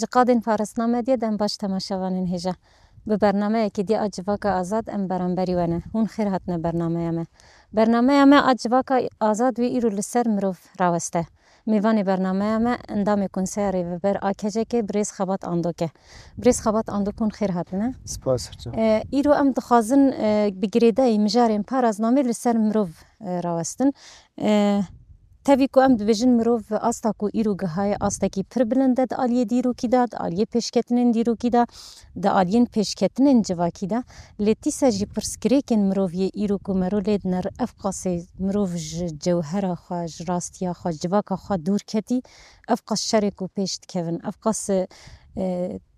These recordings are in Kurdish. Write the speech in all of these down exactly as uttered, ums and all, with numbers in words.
Ji qadên Faresna Medya dem baş temaşevanên hêja. Bi bernameyekî dî a Civaka Azad em beramberî we ne. Hûn xêr hatine bernameya me. Bernameya me a Civaka Azad wê îro li ser mirov raweste. Mêvanê bernameya me endamê Konseya Rêveber a KCKê birêz Xebat Andok e. Birêz Xebat Andok, hûn xêr hatine. Spas, hocam. E, îro em dixwazin, e, bi girêdayî mijarên paraznamê li ser mirov, e, rawestin. E, tevî ku em dibêjin mirov asta ku îro gihaye astekî pir bilind e di aliyê dîrokî de, di aliyê pêşketinên dîrokî de, di aliyên pêşketinên civakî de. Lê dîsa jî pirsgirêkên mirov yê îro ku mero lê diner, ev qasê mirov ji cewhera xwe, ji rastiya xwe, civaka xwe dûr ketî, ev qas şerê ku pêş dikevin, ev qas, e,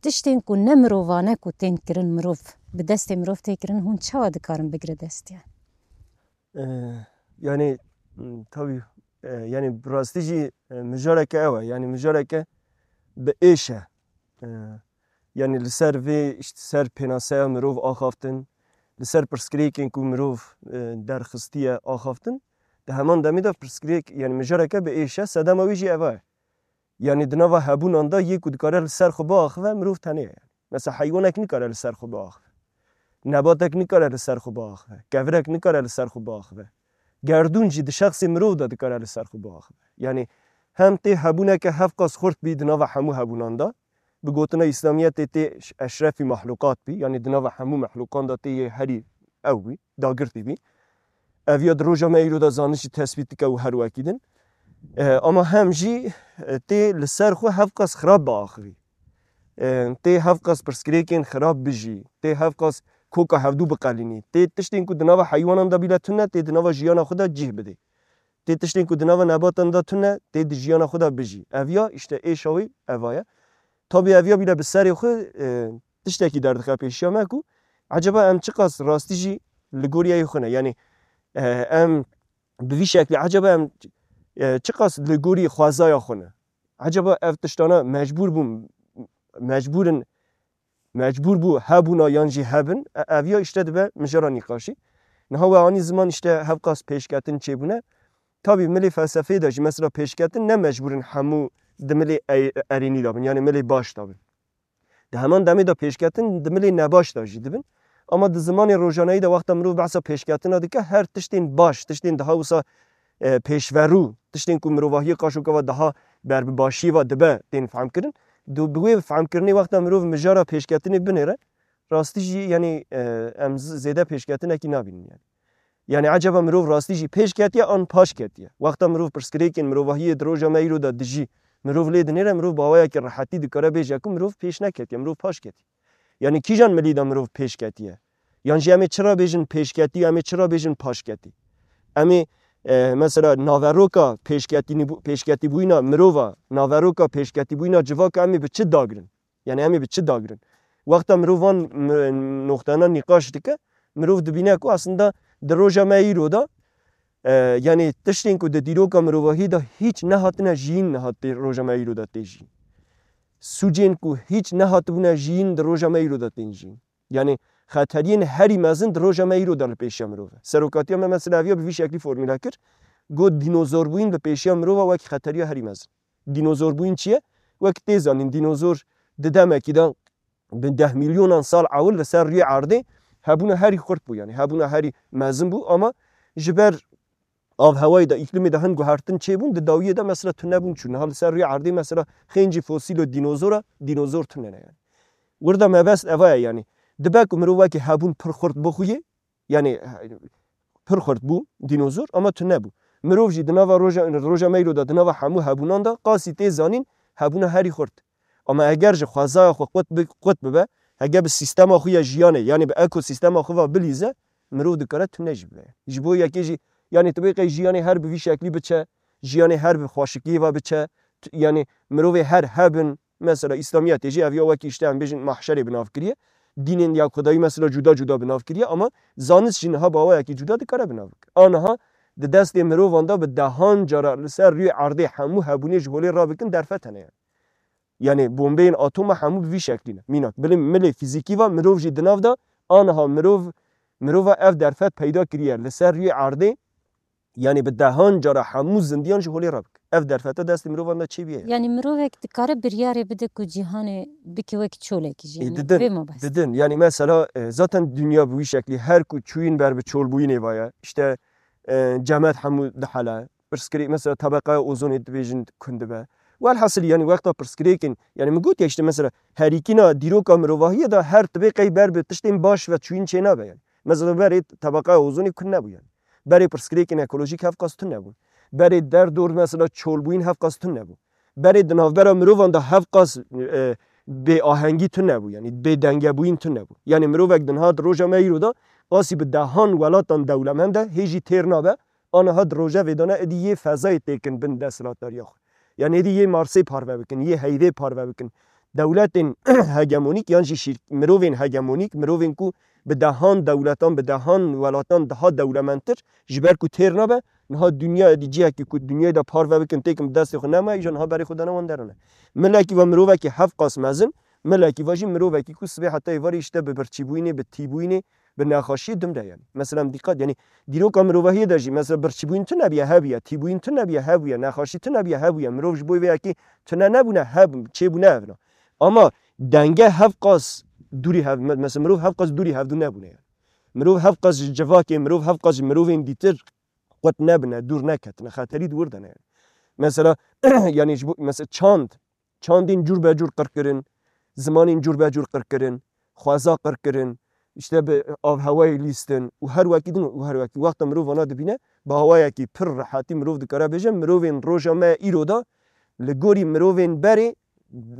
tiştên ku ne mirovane ku tên kirin mirov, bi destê mirov tê kirin, hûn çawa dikarin bigire destiya? E, yanî, m, tabî, e, yanî bi rastî jî, e, mijareke ew e. Yanî mijareke bi êş e. E, yanî li ser vê, işte, ser pênaseya mirov axaftin, li ser pirsgirêkên ku mirov, e, derxistiye axaftin, di heman demê de pirsgirêk, yanî mijareke bi êş e, sedema wî jî eva ye. Yanî di nava hebûnan de yê ku dikare li ser xwe biaxive, mirov tenê ye. Mesela heywanek nikare li ser xwe biaxive. Nebatek nikare li ser xwe biaxive. Kevirek nikare li ser xwe biaxive. Gerdûn jî di şexsê mirov de dikare li ser xwe biaxive. Yanî hem tê hebûneke hevqas xurt bî di nava hemû hebûnan de, bi gotina Îslamiyetê tê eşrefî mexluqat bî, yanî di nava hemû mexluqan de tê yê herî ew bî, dagirtî bî. Ev ya di roja me îro de zanist jî tesbît dike û her wekî din. E, ama hem jî, e, tê li ser xwe hevqas xirab biaxivî. E, tê hevqas pirsgirêkên xirab bijî, tê hevqas koka hevdû biqelînî. Tê tiştên ku di nava heywanan de bîle tune, tê di nava jiyana xwe de cih bidê. Tê tiştên ku di nava nebatan de tune, tê di jiyana xwe de bijî. Ev ya, işte, êşa wê eva ye. Tabî ev ya bîle bi serê xwe, e, tiştekî derdixe pêşiya me ku eceba em çiqas rastî jî li gorî yê xwe ne. Yanî, e, em bi vî şeklî eceba em, e, çiqas li gorî xwezaya xwe ne. Eceba ev tiştana mecbûr bûn, mecbûr in, mecbûr bû hebûna yan jî hebin, e, ev ya işte dibe mijara nîqaşî. Niha we anî ziman, işte hevqas pêşketin çêbûne. Tabî milê felsefeyê de jî mesela pêşketin ne mecbûr in hemû di milê e-, erênî de bin, yanî milê baş de bin. Di heman demê de pêşketin di milê nebaş de jî dibin. Ama di zimanê rojaneyî de wexta mirov behsa pêşketina dike, her tiştên baş, tiştên daha wisa, e, pêşverû, tiştên ku mirovahiyê qaşokeva daha ber bi başiyê ve dibe tên fehmkirin. Du-, bi wê fehmkirinê wexta mirov mijara pêşketinê binêre, rastî jî, yanî, e, em z-, zêde pêşketinekî nabînin yanî. Yanî eceba mirov rastî jî pêş ketiye an paş ketiye? Wexta mirov pirsgirêkên mirovahiyê di roja me îro de dijî, mirov lê dinêre, mirov bi awayekî rehetî dikare bêje ku mirov pêş neketiye, mirov paş ketiye. Yanî kîjan milî de mirov pêş ketiye? Yan jî em ê çira bêjin pêş ketî, em ê çira bêjin paş ketî? Em ê, e, mesela naveroka pêşketînî bû-, pêşketîbûyîna mirova, naveroka pêşketîbûyîna civaka em ê bi çi dagirin? Yanî em ê bi çi dagirin? Wexta mirov van mi-, noxtana nîqaş dike, mirov dibîne ku aslında di roja me îro de, e, yanî tiştên ku di dîroka mirovahî de hîç nehatine jiyîn, niha tê roja me îro de tê jiyîn. Sûcên ku hîç nehatibûne jiyîn di roja me îro de tên jiyîn. Yanî xeteriyên herî mezin di roja me îro de li pêşiya mirov e. Serokatiya me mesela eviya bi vî şeklî formule kir. Got, dînozorbûyîn bi pêşiya mirova wekî xeteriya herî mezin. Dînozorbûyîn çi ye? Wek tê zanîn, dînozor di demekî de bi deh milyonan sal ewil li ser rûyê erdê hebûna herî xurt bû, yanî hebûna herî mezin bû, ama ji ber avhewayê de, îklimê de hin guhertin çêbûn, di dawiyê de mesela tune bûn çû. Niha li ser rûyê erdê mesela xêncî fosîlo dînozora, dînozor tune ne yanî. Wirda mebest eva ye yanî. Dibe ku mirovekî hebûn pir xurt bixuyê, yanî pir xurt bû dînozor, ama tune bû. Mirov jî di nava roja, roja me îro de, di nava hemû hebûnan de qasî tê zanîn hebûna herî xurt. Ama eger ji xwezaya xwe qut bi-, qut bibe, hege bi sîstema xwe ya jiyanê, yanî bi ekosîstema xwe ve bilîze, mirov dikare tune jî bibe. Ji bo yekê jî, yanî tu bê qey jiyanê her bi vî şeklî biçe, jiyanê her bi xweşikiyê ve biçe, tu-, yanî mirovê her hebin, mesela Îslamiyetê jî ev ya wekî işte em bêjin mahşerê bi nav kiriye. Dînên ya Xwedayî mesela cuda cuda bi nav kiriye, ama zanist jî niha bi awayekî cuda dikare bi nav bike. A niha di destê mirovan de bi dehan cara li ser rûyê erdê hemû hebûnê ji holê rabikin derfet hene yani. Yanî bombeyên atoma hemû bi vî şeklî ne. Mînak, bilê milê fîzîkî ve mirov jî di nav de, aniha mirov, mirova ev derfet peyda kiriye. Li ser rûyê erdê Yanî bi dehan cara hemû zindiyan ji holê re bike. Ev derfeta destê mirovan de çêbûye. Yanî mirovek dikare biryarê bide ku cîhanê bike wek çolekî jî. Ê, yanî didin, vê mabest. Didin. Yanî mesela, e, zaten dinya bi wî şeklî her ku çûyîn ber bi çolbûyînê ve ye. İşte, e, cemed hemû dihele. Pirsgirêk, mesela tebeqeya ozonê dibêjin kund dibe. Welhasil yanî wexta pirsgirêkên, yanî min got ya işte mesela herîkîna dîroka mirovahiyê de her tibê qey ber bi tiştên baş ve çûyîn çênabe yanî. Mesela berê tebeqeya ozonê kund nebû yanî. Berê pirsgirêkên ekolojîk hevqas tune bûn. Berê derdor mesela çolbûyîn hevqas tune bû. Berê di navbera mirovan de hevqas, e, bêahengî tune bû, yanî bêdengebûyîn tune bû. Yanî mirovek di niha di roja me îro de qasî bi dehan welatan dewlemend e, hê jî têr nabe, aniha di rojevê de ne, êdî yê fezayê têkin bin desthilatdariya xwe. Yanî êdî yê Marsê parve bikin, yê heyvê parve bikin. Dewletên hegemonîk yan jî şîr-, mirovên hegemonîk, mirovên ku bi dehan dewletan, bi dehan welatan daha dewlemendtir, ji ber ku têr nabe, niha dinya êdî cihekî ku dinyayê de parve bikin, têkin bi destê xwe nema, îja niha berê xwe dane wan derine. Milekî ve mirovekî hevqas mezin, milekî ve jî mirovekî ku sibê heta êvarê işte bi birçîbûyînê, bi tîbûyînê, bi nexaşiyê dimre yanî. Mesela em dîqat, yanî dîroka mirovahiyê de jî mesela birçîbûyîn tune bûye, hebûye, tîbûyîn tune bûye, hebûye, nexaşî tune bûye, hebûye. Mirov ji bo vê yekê tune nebûne, heb, çêbûne evna. Ama denge hevqas dûrî hev-, me-, mesela mirov hevqas dûrî hevdû nebûne yanî. Mirov hevqas ji civakê, mirov hevqas ji mirovên dîtir qut nebine, dûr neketine, xeterî di wir de ne yanî. Mesela, yanî ji bo, mesela çand, çandên cûr be cûr qir kirin, zimanên cûr be cûr qir kirin, xweza qir kirin, işte bi avhewayê lîstin û her wekî din û her wekî. Wexta mirov vana dibîne, bi hawayekî pir rehetî mirov dikare bêje, mirovên roja me îro de li gorî mirovên berê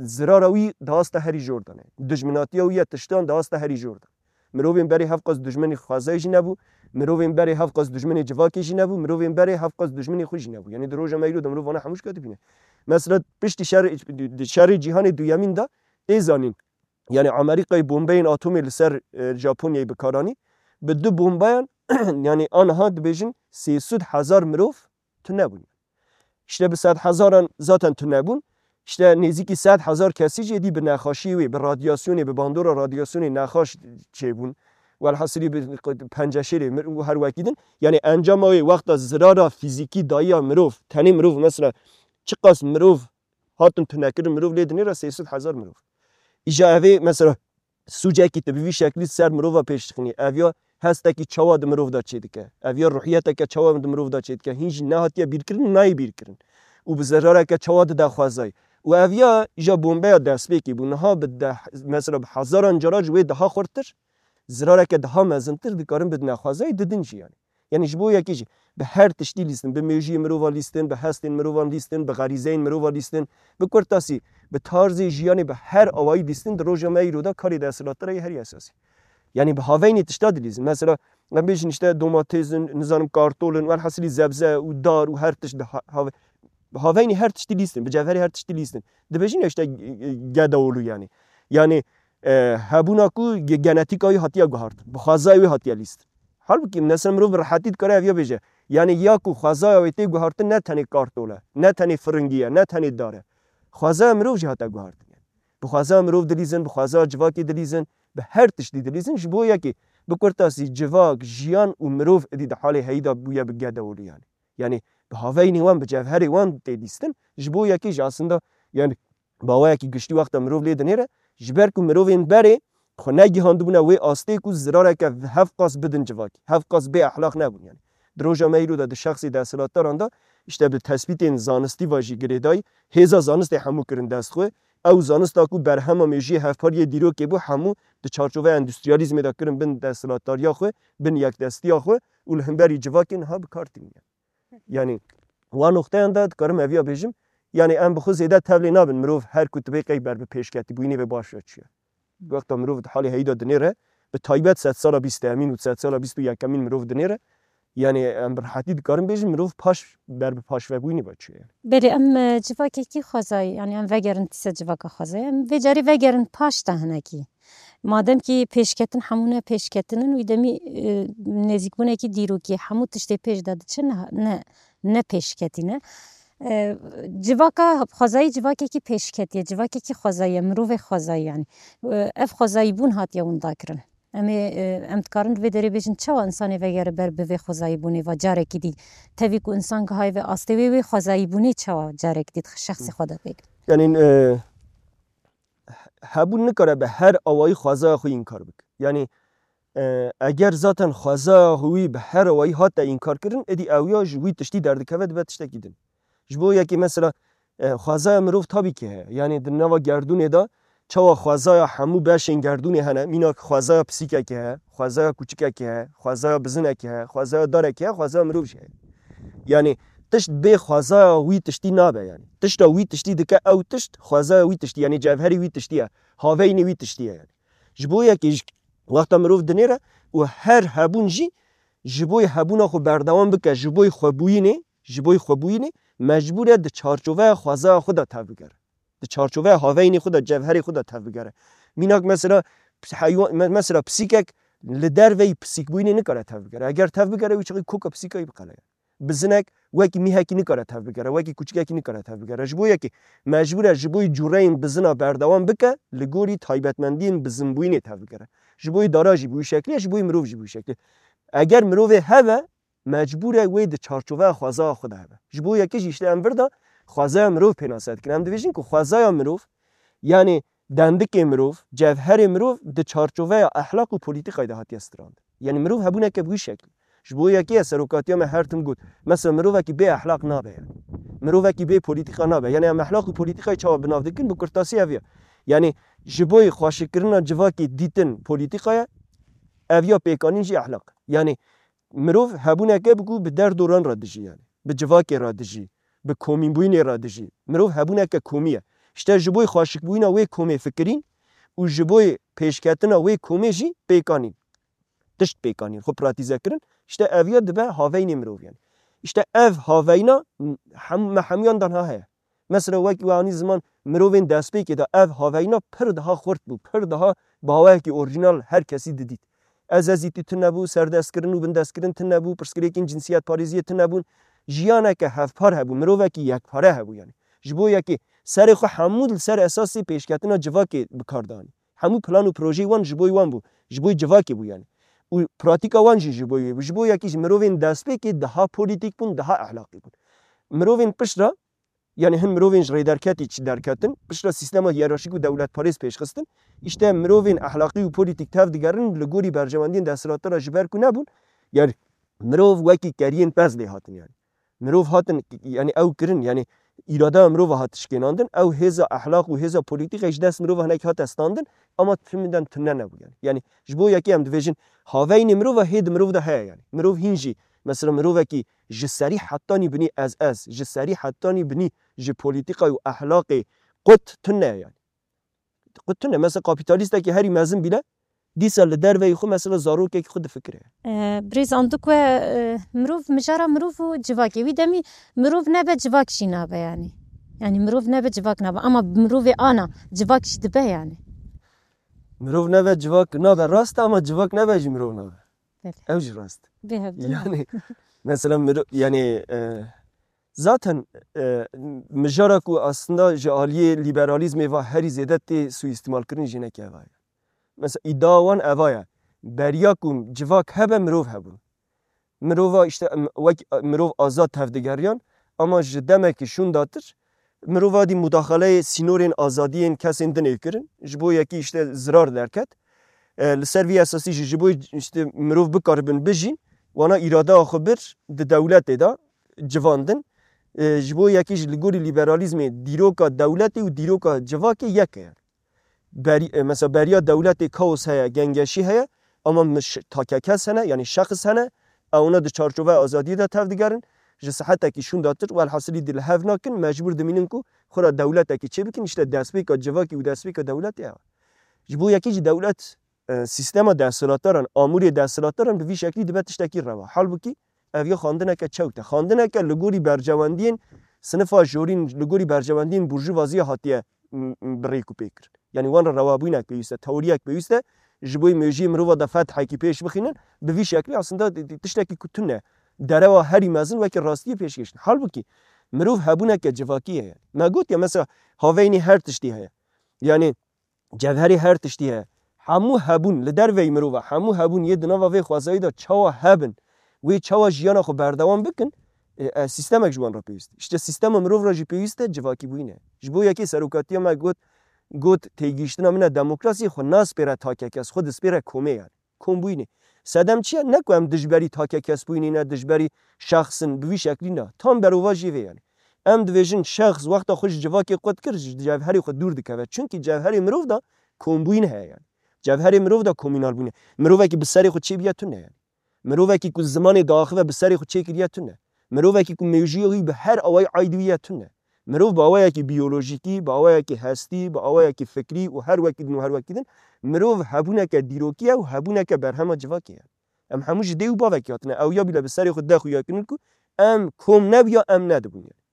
zirara wî dihasta herî jor de ne. Dijminatiya wî ya tiştan dihasta herî jor de. Mirovên berê hevqas dijminê xwezayê jî nebû, mirovên berê hevqas dijminê civakê jî nebû, mirovên berê hevqas dijminê xwe jî nebû. Yanî di roja me îro de mirov vana hemû jî dibîne. Mesela piştî şer-, di şerê cîhanê duyemîn de tê zanîn. Yanî Amerîkayê bombeyên atomê li ser, e, Japonyayê bi kar anî. Bi du bombeyan, yanî aniha dibêjin sê sed hezar mirov tune bûn. İşte bi sed hezaran zaten tune bûn. İşte nêzîkî sed hezar kesî jî êdî bi nexaşiyê wê, bi radyasyonê, bi bandora radyasyonê nexaş çêbûn. Welhasilî bi penceşêrê mir û her wekî din. Yanî encama wê wexta zirara fîzîkî dayiya mirov, tenê mirov mesela çiqas mirov hatin tunekirin, mirov lê dinêre sê sed hezar mirov. Îja evê mesela sûcekî tu bi vî şeklî ser mirova pêş dixînî. Ev ya hestekî çawa di mirov de çêdike? Ev ya ruhiyeteke çawa di mirov de çêdike? Hîn jî nehatiye bîrkirin û nayê bîrkirin. Û bi zerareke çawa dide xwezayê? Û ev ya îja bombeya destpêkê bû. Niha bi deh, mesela bi hezaran cara ji wê daha xurttir, zirareke daha mezintir dikarin bidine xwezayê, didin jî yanî. Yanî ji bo yekê jî bi her tiştî lîstin, bi mêjiyê mirova lîstin, bi hestên mirovan lîstin, bi xerîzeyên mirova lîstin, bi kurtasî, bi tarzê jiyanê, bi her awayî lîstin di roja me îro de karê desthilatdarê herî esasî. Yanî bi haveynê tişta dilîzin. Mesela, em bêjin işte domatês in, nizanim kartol in, welhasilî zebze û dar û her tişt di ha-, have-, bi haveynê her tiştî lîstin, bi cevherê her tiştî lîstin. Dibêjin ya işte, e, e, gedaolû yanî. Yanî, e, hebûna ku ge-, genetîka wî hatiye guhartin, bi xwezayê wî hatiye lîstin. Halbûkî mesela mirov bi rehetî dikare ev ya bêje. Yanî ya ku xwezaya wê tê guhartin ne tenê kartol e, ne tenê firingî ye, ne tenê dar e. Xwezaya mirov jî hate guhartin. Bi xwezaya mirov dilîzin, bi xwezaya civakê dilîzin, bi her tiştî dilîzin. Ji bo yekê bi kurtasî civak, jiyan û mirov êdî di halê heyî de bûye bi gedaolû yanî. Yanî bi haveynê wan, bi cevherê wan tê lîstin. Ji bo yekê jî aslında yanî bi awayekî giştî wexta mirov lê dinêre, ji ber ku mirovên berê xwe negihandibûne wê astê ku zirareke hevqas bidin civakî, hevqas bê exlaq nebûn yanî. Di roja me îro de di şexsê desthilatdaran de, işte bi tespîtên zanistî ve jî girêdayî, hêza zanistê hemû kirin dest xwe. Ew zanista ku berhema mêjiyê hevpariyê dîrokê bû, hemû di çarçoveya endûstriyalîzmê de kirin bin desthilatdariya xwe, bin yekdestiya xwe û li hemberî civakê niha bi kar tînin. Yanî, wan noxteyan de dikarim eviya bêjim, yanî em bi xwe zêde tevlê nabin, mirov her ku dibê qey ber bi pêşketîbûyînê ve baş ve çûye. Wexta mirov di halê heyî de dinêre, bi taybet sedsala bîst û yekemîn û sedsala bîst û yekemîn mirov dinêre, yanî em bi rehetî dikarin bêjin, mirov paş ber bi paşvebûyînê ve çûye. Belê, em, e, civakekî xwezayî, yanî em vegerin dîsa civaka xwezayî, em vê carê vegerin paş de hinekî. Madem kî pêşketin hemû ne pêşketin in, wî demî, e, nêzîkbûnekî dîrokî hemû tiştê pêş de diçe ne, ne, ne pêşketî ne. E, civaka xwezayî civakekî pêşketî ye, civakekî xwezayî ye, mirovê xwezayî yanî. E, ev xwezayîbûn hatiye winda kirin. Em ê, e, em dikarin di vê derê bêjin çawa insanê vegere ber bi vê xwezayîbûnê ve carekî dî. Tevî ku insan gihayê vê astê wê, wê xwezayîbûnê çawa carekî dî di şexsê xwe de pêk. Yanî, e, hebûn nikare bi her awayî xwezaya xwe înkar bike. Yanî, e, eger zaten xwezaya wî bi her awayî hate înkar kirin, êdî ew ya ji wî tiştî derdikeve dibe tiştekî din. Ji bo yekê mesela, e, xwezaya mirov tabî ki heye. Yanî di nava gerdûnê de çawa xwezaya hemû beşên gerdûnê hene, mînak xwezaya pisîkekê heye, xwezaya kûçikekê heye, xwezaya bizinekê heye, xwezaya darekê heye, xwezaya mirov jî heye. Yanî tişt bê xwezaya wî tiştî nabe yanî. Tişta wî tiştî dike ew tişt, xwezaya wî tiştî, yanî cevherê wî tiştî ye, haveynê wî tiştî ye yanî. Ji bo yekê ji wexta mirov dinêre û her hebûn jî ji bo hebûna xwe berdewam bike, ji bo xwebûyînê, ji bo xwebûyînê mecbûr e di çarçoveya xwezaya xwe de tevbigere. Di çarçoveya haveynê xwe de, cevherê xwe de tevbigere. Mînak mesela, heywan, me-, mesela pisîkek li derveyî pisîkbûyînê nikare tevbigere. Eger tevbigere, wî çaxî koka pisîkayî biqeleye. Bizinek wekî mîhekî nikare tevbigere, wekî kûçikekî nikare tevbigere. Ji bo yekê mecbûr e ji bo cûreyên bizina berdewam bike, li gorî taybetmendiyên bizinbûyînê tevbigere. Ji bo dara jî bi wî şeklî ye, ji bo mirov jî bi wî şeklî. Eger mirovê hebe, mecbûr e wê di çarçoveya xwezaya xwe de hebe. Ji bo yekê jî işte em vir de xwezaya mirov pênase dikin. Em dibêjin ku xwezaya mirov, yanî dendikê mirov, cevherê mirov di çarçoveya ehlaq û polîtîkayê de hatiye strandin. Yanî mirov hebûneke bi wî şeklî. Ji bo yekê ye serokatiya me her tim got, mesela mirovekî bê ehlaq nabe yanî. Mirovekî bê polîtîka nabe. Yanî em ehlaq û polîtîkayê çawa bi nav dikin, bi kurtasî ev ye. Yanî ji bo xweşikkirina civakê dîtin polîtîka ye, ev ya pêkanîn jî ehlaq. Yanî mirov hebûneke bi ku bi derdoran re dijî yanî. Bi civakê re dijî, bi komînbûyînê re dijî. Mirov hebûneke komî ye. Îşte ji bo xweşikbûyîna wê komê fikirîn û ji bo pêşketina wê komê jî pêkanîn. Tişt pêkanîn, xwe pratîze kirin. Îşte ev ya dibe haveynê mirov yanî. Îşte ev haveyna hem, me hemûyan de niha heye. Mesela wek we anî ziman mirovên destpêkê de ev haveyna pir daha xurt bû, pir daha bi awayekî orjînal her kesî didît. Ezezîtî tune bû, serdestkirin û bindestkirin tune bû, pirsgirêkên cinsiyetparêziyê tune bûn. Jiyaneke hevpar hebû, mirovekî yekpare hebû yanî. Ji bo yekê serê xwe hemû li ser esasê pêşketina civakê bi kar danî. Hemû plan û projeyê wan ji bo wan bû, ji bo civakê bû yanî. Û pratîka wan jî ji bo wê bû. Ji bo yekî ji mirovên destpêkê daha polîtîk bûn, daha ehlaqî bûn. Mirovên pişt re, yanî hin mirovên ji rêderketî çi derketin, pişt re sîstema hiyerarşîk û dewletparêz pêşxistin. Îşte mirovên ehlaqî û polîtîk tev digerin, li gorî berjewendiyên desthilatdar re ji ber ku nebûn, yanî mirov wekî keriyên pez lê hatin yanî. Mirov hatin, yanî ew kirin, yanî îradeya mirova hat şikênandin, ew hêza ehlaq û hêza polîtîkê ji dest mirova hinekî hate standin, ama timinden tune nebû yanî. Yanî ji bo yekê em dibêjin, haveynê mirova hê di mirov de heye yanî. Mirov hîn jî, mesela mirovekî ji serî hetanî binî ez ez, ji serî hetanî binî ji polîtîkayê û ehlaqê qut tune ye yanî. Qut tune. Mesela kapîtalîstekî herî mezin bîle, dîsa li derveyî xwe mesela zarokekî xwe difikire. E, birêz Andik we, e, mirov, mijara mirov û civakê. Wî demî mirov nebe civak jî nabe yanî. Yanî mirov nebe civak nabe. Ama mirovê ana civak jî dibe yanî. Mirov nebe civak nabe rast e ama civak nebe jî mirov nabe. Belê. Ew jî rast. Bê hevdû ne. Yanî mesela mirov, yanî, e, zaten, e, mijara ku aslında ji aliyê lîberalîzmê ve herî zêde tê suîstîmalkirin jî neke eva ye. Mesela îdia wan eva ye. Beriya ku civak hebe mirov hebûn. Mirova işte em, wek mirov azad tevdigeriyan ama ji demekî şûndatir mirov adî mudaxaleyê sînorên azadiyên kesên din ê kirin. Ji bo yekî işte zirar derket. E, li ser vî esasî jî ji bo işte mirov bikaribin bijîn, wana îradeya xwe bir di dewletê de civandin. E, ji bo yekî jî li gorî lîberalîzmê dîroka dewletê û dîroka civakê yek e. Berî, e, mesela beriya dewletê kaos heye, gengeşî heye, ama miş-, takekes hene, yanî şexs hene, ewna di çarçoveya azadiyê de tevdigerin, ji sihetekî şûndatir, welhasilî di li hev nakin, mecbûr dimînin ku xwe re dewletekî çêbikin, işte destpêka civakî û destpêka dewletê ew e. Ji bo yekî jî dewlet, e, sîstema desthilatdaran, amûrê desthilatdaran bi vî şeklî dibe tiştekî rewa. Halbûkî ev ya xwendineke çewt e. Xwendineke li gorî berjewendiyên sinifa jorîn, li gorî berjewendiyên burjuvaziyê hatiye m-, m-, bi rêk û pê kirin. Yanî wan re rewabûyînek pêwîst e, teoriyek pêwîst e, ji bo mejiyê mirova de fethekî pêş bixînin, bi vî şeklî aslında di-, di-, tiştekî ku tune. Derewa herî mezin weke rastiyê pêşkêş dikin. Halbûkî mirov hebûneke civakî heye. Me gotiye mesela haveynê her tiştî heye. Yanî cevherê her tiştî heye. Hemû hebûn, li derveyî mirova, hemû hebûn yê di nava vê xwezayî de çawa hebin, wê çawa jiyana xwe berdewam bikin, e, e, sîstemek ji wan re pêwîst e. Îşte sîstema mirov re jî pêwîst e civakîbûyîn e. Ji bo yekê serokatiya me got, got têgihiştina min e demokrasiyê, xwe naspêre takekes, xwe dispêre komê yani. Kombûyînê. Sedem çi ye? Ne ku em dijberî takekesbûyînê ne, dijberî şexs in, bi vî şeklî ne. Tam berovajî vê yani. Em dibêjin şexs wexta xwe ji civakê qut kir, ji cevherê xwe dûr dikeve. Çunkî cevherê mirov de kombûyîn heye yani. Cevherê mirov de komînalbûyîn e. Mirovekî bi serê xwe çêbûye tune yani. Mirovekî ku zimanê diaxive bi serê xwe çêkiriye tune. Mirovekî ku mewjûya wî bi her awayî aîdî wî ye tune. Mirov bi awayekî biyolojîkî, bi awayekî hestî, bi awayekî fikrî û her wekî din û her wekî din, mirov hebûneke dîrokî ye û hebûneke berhema civakê ye. Em hemû ji dê û bavekî hatine. Ew ya bîle bi serê xwe de xuya kirin ku em kom nebûya, em nedibûn yani.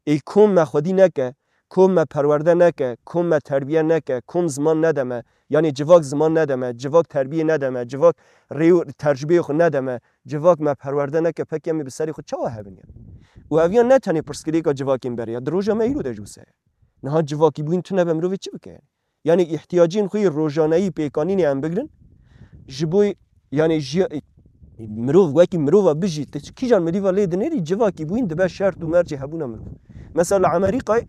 Ê kom me xwedî neke, kom me perwerde neke, kom me terbiye neke, kom ziman nede me, yanî civak ziman nede me, civak terbiyê nede me, civak rê û tercubeyê xwe nede me, civak me perwerde neke, pekî em ê bi serê xwe çawa hebin ya? Û ev ya ne tenê pirsgirêka civakên berê ya, di roja me îro de jî wisa ye. Niha civakîbûyîn tune be mirovê çi bike yani? Yanî îhtiyacên xwe yê rojaneyî pêkanînê em bigirin, ji bo, yanî ji, mirov wekî mirova bijî, tu kîjan mirîva lê dinêrî, civakîbûyîn dibe şert û mercê hebûna mirov. Mesela li Amerîkayê,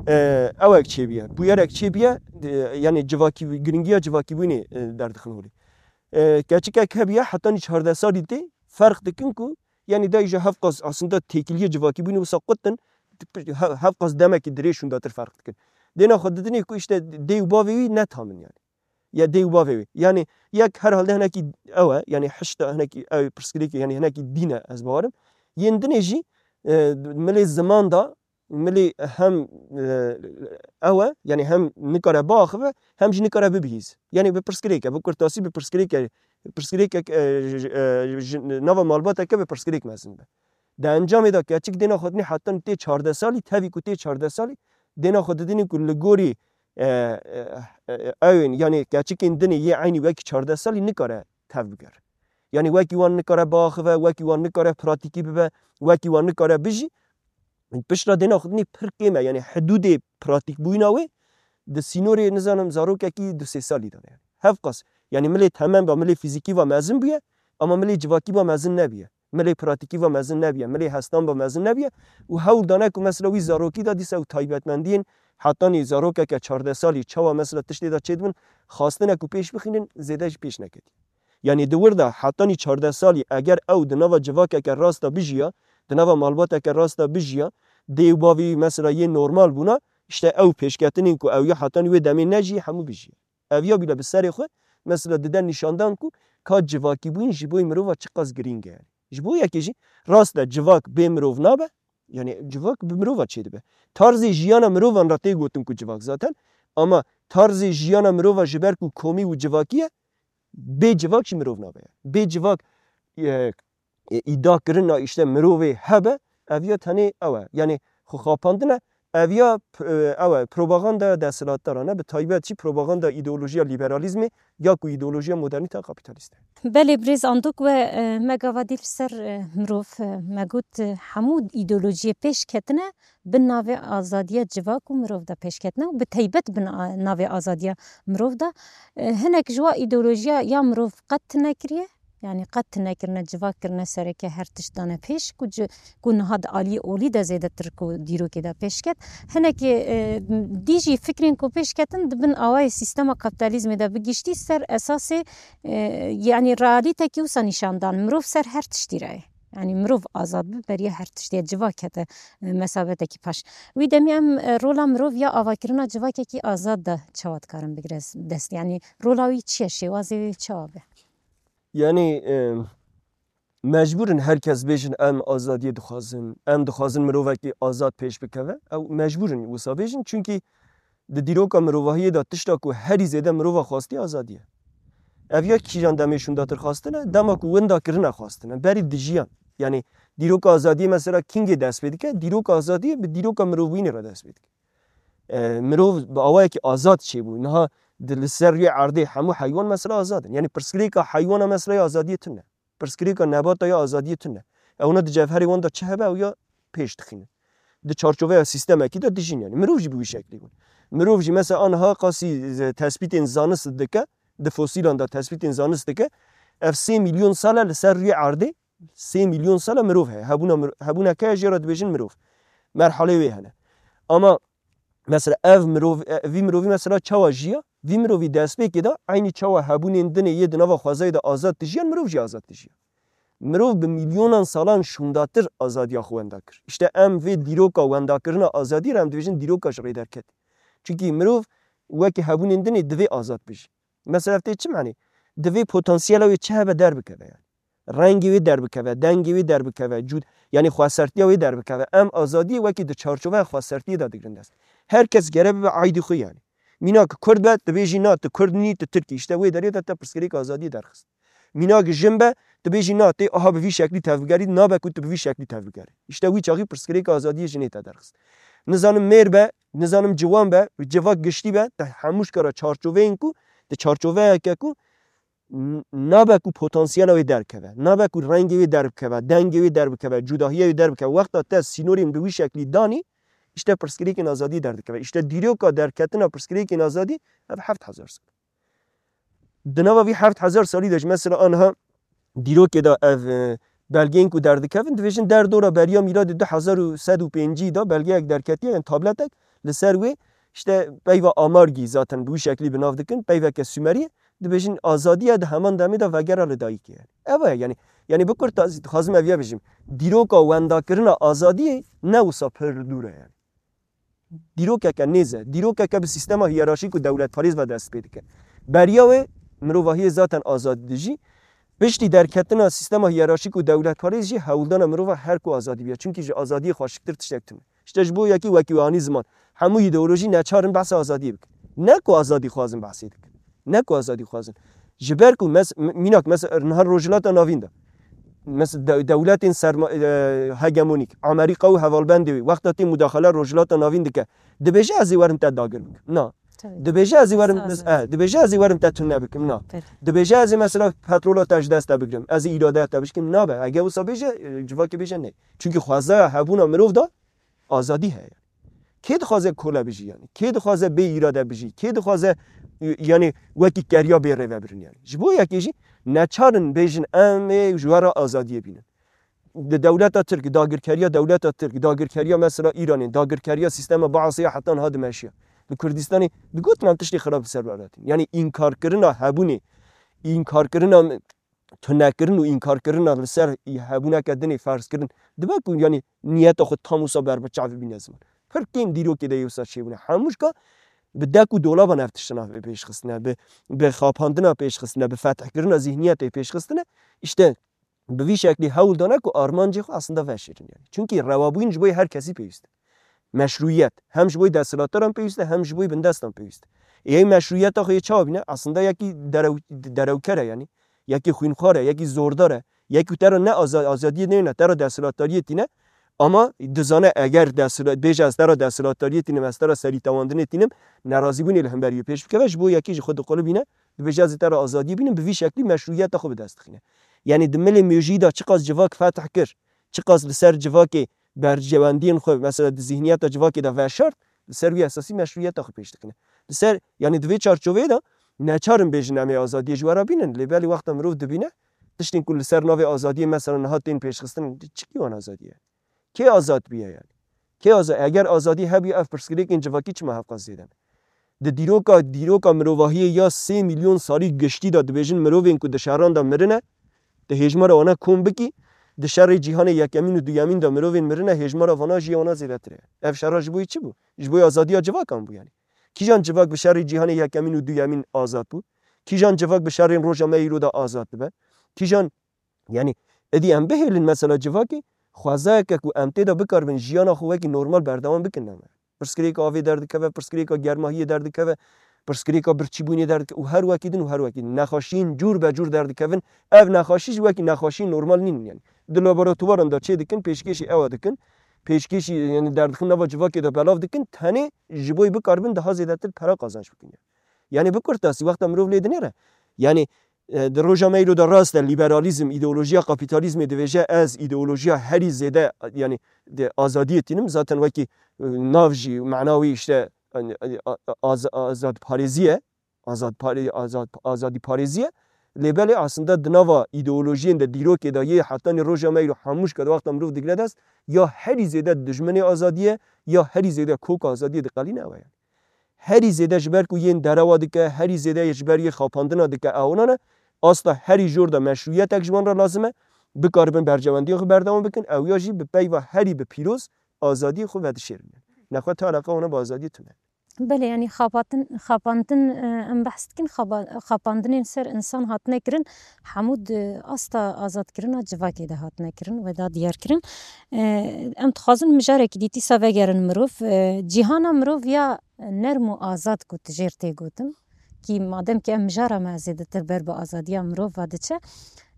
e, ewek çêbûye, bûyerek çêbûye, e, yanî civakî, giringiya civakîbûyînê, e, derdixin holê. E, keçikek hebûye, hetanî çardeh salî tê, ferq dikin ku, yanî dey ji hevqas aslında têkiliyê civakîbûyînê wisa qut in, he-, hevqas demekî dirêj şûndatir ferq dikin. Dêna xwe didinê ku işte dê û bavê wî ne tam in yani. Ya dê û bavê wî. Yanî yek herhalde hinekî ew e, yanî hişta hinekî ew pirsgirêkê, yanî hinekî dîn e ez bawerim. Yên dinê jî, e, milê ziman da, milê hem, e, ew e, yanî hem nikare biaxive, hem jî nikare bibihîz. Yanî bi pirsgirêk e, bi kurtasî bi pirsgirêk e, pirsgirêkek, e, ji, e, ji nava malbateke bi pirsgirêk mezin be. Di encamê de keçik dêna xwe dinê hetan tê çardeh salî, tevî ku tê çardeh salî, dêna xwe didinî ku li gorî, e, e, e, ewên, yanî keçikên dinê yê eynî wekî çardeh salî nikare tev bigere. Yanî wekî wan nikare biaxive, wekî wan nikare pratîkî bibe, wekî wan nikare bijî. Piştre dêna xwe dinê pir kêm e, yanî hidûdê pratîkbûyîna wê di sînorê, nizanim, zarokekî du sê salî de ye. Hevqas, yanî milê temen ve, milê fîzîkî ve mezin bûye, ama milê civakî ve mezin nebûye. Milê pratîkî ve mezin nebûye, milê hestan ve mezin nebûye û hewl dane ku mesela wî zarokî de dîsa ew taybetmendiyên hetanî zarokeke çardeh salî çawa mesela tiştê de çêdibin, xwastine ku pêş bixînin, zêde jî pêş neketî. Yanî di wir de hetanî çardeh salî eger ew di nava civakeke rast de bijiya, di nava malbateke rast de bijiya, dê û bavê wî mesela yê normal bûna, işte ew pêşketinên ku ew ya hetanî wê demê nejiyê hemû bijiye. Ev ya bîle bi serê xwe mesela dide nîşandan ku ka civakîbûyîn ji bo mirova çiqas girîng e. Ji bo yekê jî rast e civak bê mirov nabe, yanî civak bi mirova çêdibe. Tarzê jiyana mirovan re tê gotin ku civak zaten, ama tarzê jiyana mirova ji ber ku komî û civakî ye, bê civak jî mirov nabe. Bê civak, e, e, îda kirina îşte mirovê hebe, ev ya tenê ew e. Yanî xwe xapandin e, ev ya p-, e, ew e, propaganda desthilatdaran e, bi taybet jî propaganda îdeolojiya liberalîzmê ya ku îdeolojiya modernîte kapîtalîst e. Belê birêz Andok we, e, me gava dî li ser, e, mirov, e, me got, e, hemû îdeolojiyê pêş ketine, bi navê azadiya civak û mirov de pêş ketine û bi taybet bi na-, navê azadiya mirov de, e, hinek ji wa îdeolojiya ya mirov qet tune kiriye, yanî qet tune kirine, civak kirine sereke, her tişt dane pêş, ku ci-, ku niha di aliyê olî de zêdetir ku dîrokê de pêş ket. Hinekê, e, dî jî fikrên ku pêş ketin di bin awayê sîstema kapitalizmê de bi giştî ser esasê, e, yanî realîtekî wisa nîşan dan, mirov ser her tiştî re ye. Yanî mirov azad bi, beriya her tiştê civak kete, e, mesabetekî paş. Wî demî em, e, rola mirov ya avakirina civakekî azad de çawa dikarin bigire dest? Yanî rola wî çi ye? Şêwazê wî çawa be? Yanî, e, mecbûr in her kes bêjin, em azadiyê dixwazin, em dixwazin mirovekî azad pêş bikeve. Ew mecbûr in wisa bêjin, çunkî di dîroka mirovahiyê de tişta ku herî zêde mirova xwestiye azadî ye. Ev ya kîjan demê şûndatir xwestine, dema ku winda kirine xwestine, berî dijiyan. Yanî dîroka azadiyê mesela kîngê dest pê dike? Dîroka azadiyê bi dîroka mirovbûyînê re dest pê dike. E, mirov bi awayekî azad çêbû. Niha di, li ser rûyê erdê hemû heywan mesela azad in. Yanî pirsgirêka heywana mesela ya azadiyê tune. Pirsgirêka nebata ya azadiyê tune. Ewna di cevherê wan de çi hebe ew ya pêş dixînin. Di çarçoveya sîstemekî de dijîn yanî. Mirov jî bi wî şeklî bûn. Mirov jî mesela aniha qasî, e, tespîtên zanist dike, di fosîlan de tespîtên zanist dike. Ev sê milyon sal e li ser rûyê erdê, sê milyon sal e mirov heye. Hebûna mir-, hebûna ke jê re dibêjin mirov. Merhalê wê hene. Ama mesela ev mirov, e, vî mirovî mesela çawa jiya? Vî mirovî destpêkê de eynî çawa hebûnên dinê yê di nava xwezayê de azad dijiyan, mirov jî azad dijiya. Mirov bi milyonan salan şûndatir azadiya xwe wenda kir. Îşte em vê dîroka wendakirina azadî re em dibêjin dîroka ji rê derketî. Çunkî mirov wekî hebûnên dinê divê azad bijî. Mesela tê çi manê? Divê potansiyela wê çi hebe derbikeve yani. Rengê wê derbikeve, dengê wê derbikeve, cûd-, yani xwesertiya wê derbikeve. Em azadiyê wekî di çarçoveya xwesertiyê de digrin dest. Her kes gere bibe aydî xwe yani. Mînak Kurd be, dibêjî na, tu Kurd nî, tu Tirk î. Îşte wê derê de te pirsgirêk azadiyê derxist. Mînak jin be, dibêjî na, tê aha bi vî şeklî tevbigerî, nabe ku tu bi vî şeklî tevbigerî. Îşte wî çaxî pirsgirêka azadiyê jinê te derxist. Nizanim mêr be, nizanim ciwan be, civak giştî be, te hemû ji kara çarçoveyên ku, di çarçoveyeke ku n-, nabe ku potansiyela wê derkeve, nabe ku rengê wê derbikeve, dengê wê derbikeve, cudahiyê wê derbikeve. Wexta te sînorên bi wî şeklî danî, îşte pirsgirêkên azadiyê derdikeve. Îşte dîroka derketina pirsgirêkên azadî ev heft hezar sal. Di nava vî heft hezar salî de jî mesela aniha dîrokê de ev, e, belgeyên ku derdikevin, dibêjin derdora beriya mîladê du hezar û sed û pêncî de belgeyek derketiye, yani tabletek, li ser wê işte peyva Amargî zaten bi wî şeklî bi nav dikin, peyveke Sumerî, dibêjin azadiye di heman demê de vegera li dayikê yani. Ev e yani, yani bi kurtazî dixwazim ev ye bijim. Dîroka wendakirina azadiyê ne wisa pir li dûr e yani. Dîrokeke nêz e. Dîrokeke bi sîstema hiyerarşîk û dewletparêz ve dest pê dike. Beriya wê mirovahiyê zaten azad dijî. Piştî derketina sîstema hiyerarşîk û dewletparêz jî hewldana mirova her ku azadî biya. Çimkî ji azadiyê xweşiktir tiştek tune. Îşte ji bo yekî wekî we anî ziman. Hemû îdeolojî neçar in behsa azadiyê bikin. Ne ku azadî xwazin behsê dikin. Ne ku azadî xwazin. Ji ber ku mes-, m-, mînak mes-, niha Rojhilata Navîn de. Mes-, de-, dewletên serma-, e, hegemonîk, Amerîka û hevalbendê wê, wexta tê mudaxele Rojhilata Navîn dike, dibêje ez ê werim te dagir bikim. Na. Tabii. Dibêje ez ê werim, Saz mes-, e, dibêje ez ê werim te tune bikim. Na. Tabii. Dibêje ez ê mesela petrola te ji dest te bigirim. Ez ê îradeya te bişkim. Nabe. Eger wisa bêje, e, civakê bêje ne. Çünkü xwezaya hebûna mirov da azadî heye. Kê dixwaze kole bijî yani? Kê dixwaze bê îrade bijî? Kê dixwaze, e, yani wekî keriya bê rêvebirin yani? Ji bo yekê jî neçarin bêjin em ê ji we re azadiyê bînin. Di dewleta Tirk, dagirkeriya dewleta Tirk, dagirkeriya mesela Îranê, dagirkeriya sîstema Baasê ya heta niha dimeşiya. Li Kurdistanê digotin em tiştê xirab li ser ve hatin. Yani înkarkirina hebûnê, înkarkirina tunekirin û înkarkirina li ser hebûneke dinê ferzkirin, dibe ku yani niyeta xwe tam wisa berbiçav bîne ziman. Pir kêm dîrokê de yê wisa çêbûne. Hemû jika bi dek û dolaban ev tiştine pêşxistine, bi, bi xapandina pêşxistine, bi fethkirina zihniyetê pêşxistine. Îşte bi vî şeklî hewl dane ku armancê xwe aslında veşêrin yani. Çunkî rewabûyîn ji bo yê her kesî pêwîst e. Meşrûyet hem ji bo yê desthilatdaran pêwîst e, hem ji bo yê bindestan pêwîst e. Ê meşrûyeta xwe yê çawa bîne? Aslında yekî derew-, derewker e yani. Yekî xwînxwar e, yekî zordar e. Yekî te re ne aza-, azadiyê neyne, te re desthilatdariyê tîne. Ama dizane eger desthilat-, bêje ez te re desthilatdariyê tînim, ez te re serîtewandinê tînim, nerazîbûnê li hemberî wê pêş bikeve, ji bo yekî ji xwe diqulibîne, dibêje ez ê te re azadiyê bînim, bi vî şeklî meşrûyeta xwe bi dest dixîne. Yani di milê mejî de çiqas civak fetih kir, çiqas li ser civakê berjewendiyên xwe, mesela di zihniyeta civakê de veşart, li ser wî esasî meşrûyeta xwe pêş dixîne. Li ser, yani di vê çarçoveyê de neçarin bêjin em ê azadiyê ji we re bînin, lê belê wexta mirov dibîne, tiştên ku li ser navê azadiyê mesela niha tên pêşxistin, çi kî wan azadî ye? Kê azad bûye yani? Kê aza-, eger azadî hebûye ev pirsgirêkên civakî çima hevqas zêde ne? Di dîroka, dîroka mirovahiyê ya sê milyon salî giştî de dibêjin mirovên ku di şeran de mirine, di hêjmara wana kom bikî, di şerê cîhanê yekemîn û duyemîn de mirovên mirine, hêjmara vana jî ya wana zêdetir e. Ev şera ji bo yî çi bû? Ji bo azadiya civakan bû yani. Kîjan civak bi şerê cîhanê yekemîn û duyemîn azad bû? Kîjan civak bi şerên roja me îro de azad dibe? Kîjan, yani, êdî em bihêlin mesela civakê, xwezayeke ku em tê de bikaribin jiyana xwe wekî normal berdewam bikin, ne me. Pirsgirêka avê derdikeve, pirsgirêka germahiyê derdikeve, pirsgirêka birçîbûnê derdikeve û her wekî din û her wekî din. Nexweşiyên cûr be cûr derdikevin, ev nexweşî jî wekî nexweşiyên normal nînin yani. Di laboratuvaran de çê dikin, pêşkêşî ewa dikin, pêşkêşî, yani, derdixin nava civakê de belav dikin, tenê ji bo yî bikaribin daha zêdetir pera qazanç bikin yani. Yani bi kurtasî wexta mirov lê dinêre, yani, e, di roja me îro de rast e, liberalîzm, îdeolojiya kapîtalîzmê dibêje ez îdeolojiya herî zêde, yani, di azadiyê tînim, zaten wekî, e, nav jî, mana wî işte, yani, a-, a-, az-, azadparêzî ye. azad pare-, azad, azadî parêzî ye. Lê belê aslında di nava îdeolojiyên de, dîrokê de yê hetanî roja me îro hemû ji wexta mirov digre dest, ya herî zêde dijminê azadiyê, ya herî zêde koka azadiyê diqelîne ew e yani. Herî zêde ji ber ku yên derewa dike, herî zêde ji ber yê xapandina dike, ew nan e. Asta herî jor de meşrûyetek ji wan re lazim e, bikaribin berjewendiya xwe berdewam bikin, ew ya jî bi peyva herî bi pîroz azadiyê xwe vedişêrin. Nexwe ti eleqa wana bi azadiyê tune. Belê, yanî xapatin-, xapandin, e, em behs dikin, xaba-, xapandinên ser insan hatine kirin, hemû di asta azadkirina civakê de hatine kirin, wê da diyar kirin. E, em dixwazin mijarekî dî dîsa vegerin mirov. E, cîhana mirov ya nerm û azad ku tu jêr tê gotin, kî madem ki em mijara me zêdetir ber bi azadiya mirov ve diçe,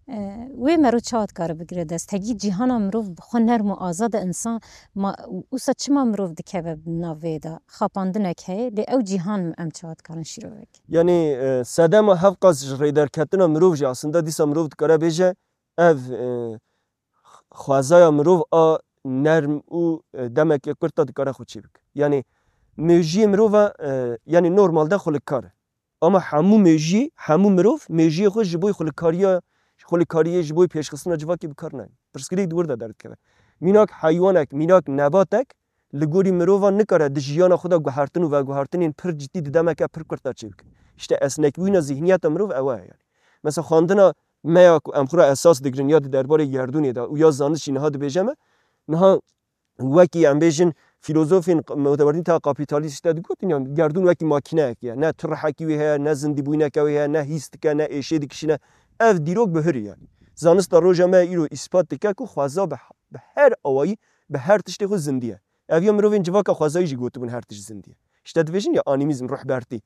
e, wê mero çawa dikare bigire dest? Hegî cîhana mirov bi xwe nerm û azad e, insan ma, wisa çima mirov dikeve navê de? Xapandinek heye, lê ew cîhan em çawa dikarin şîrove bikin? Yanî, e, sedema hevqas ji rêderketina mirov jî aslında dîsa mirov dikare bêje, ev, e, xwezaya mirov a nerm û, e, demeke kurt de dikare xwe çêbike. Yanî, mêjiyê mirov e, e, yanî normalde xwe li kar e. Ama hemû mêjiyê, hemû mirov mêjiyê xwe ji bo xwelikkariya, xwelikariyê, ji bo pêşxistina civakê bi kar nayên. Pirsgirêk di wir de derdikeve. Mînak heywanek, mînak nebatek li gorî mirovan nikare di jiyana xwe de guhertin û veguhertinên pir cidî di demeke pir kurt de çêbike. Îşte esnekbûyîna zihniyeta mirov ew e yani. Mesela xwendina me ya ku em xwe re esas digirin ya di derbarê gerdûnê de û ya zanist jî niha dibêje me, niha wekî em bêjin, fîlozofên q-, modernîteya kapîtalîst işte digotin, yani gerdûn wekî makîneyekê ye. Ne tu rihekî wê heye, ne zindîbûyineke wê heye, ne hîs dike, ne êşê dikişîne. Ev dîrok bihurî yani. Zanista roja me îro îspat dike ku xweza bi, bi her awayî, bi her tiştê xwe zindî ye. Ev ya mirovên civaka xwezayî jî gotibûn her tişt zindî ye. İşte dibêjin ya animîzm, ruhbertî.